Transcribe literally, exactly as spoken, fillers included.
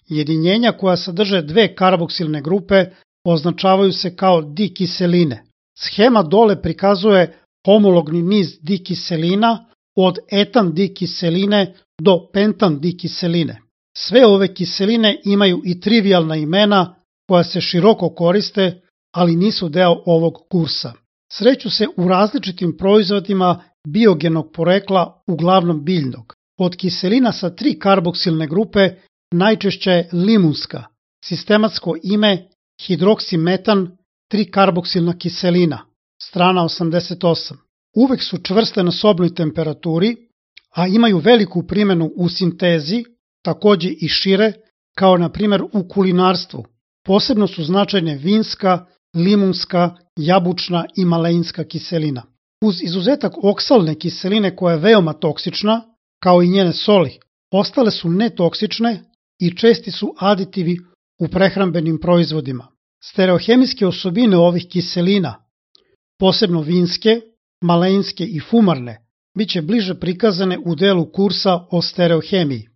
Jedinjenja koja sadrže dve karboksilne grupe označavaju se kao dikiseline. Shema dole prikazuje homologni niz dikiselina od etan dikiseline do pentan dikiseline. Sve ove kiseline imaju i trivijalna imena koja se široko koriste, ali nisu deo ovog kursa. Sreću se u različitim proizvodima biogenog porekla, uglavnom biljnog. Od kiselina sa tri karboksilne grupe najčešće je limunska, sistematsko ime hidroksimetan tri karboksilna kiselina, strana osamdeset osam. Uvek su čvrste na sobnoj temperaturi, a imaju veliku primenu u sintezi, takođe i šire, kao na primjer u kulinarstvu. Posebno su značajne vinska, limunska, jabučna i maleinska kiselina. Uz izuzetak oksalne kiseline koja je veoma toksična, kao i njene soli, ostale su netoksične i česti su aditivi u prehrambenim proizvodima. Stereohemijske osobine ovih kiselina, posebno vinske, maleinske i fumarne, bit će bliže prikazane u delu kursa o stereohemiji.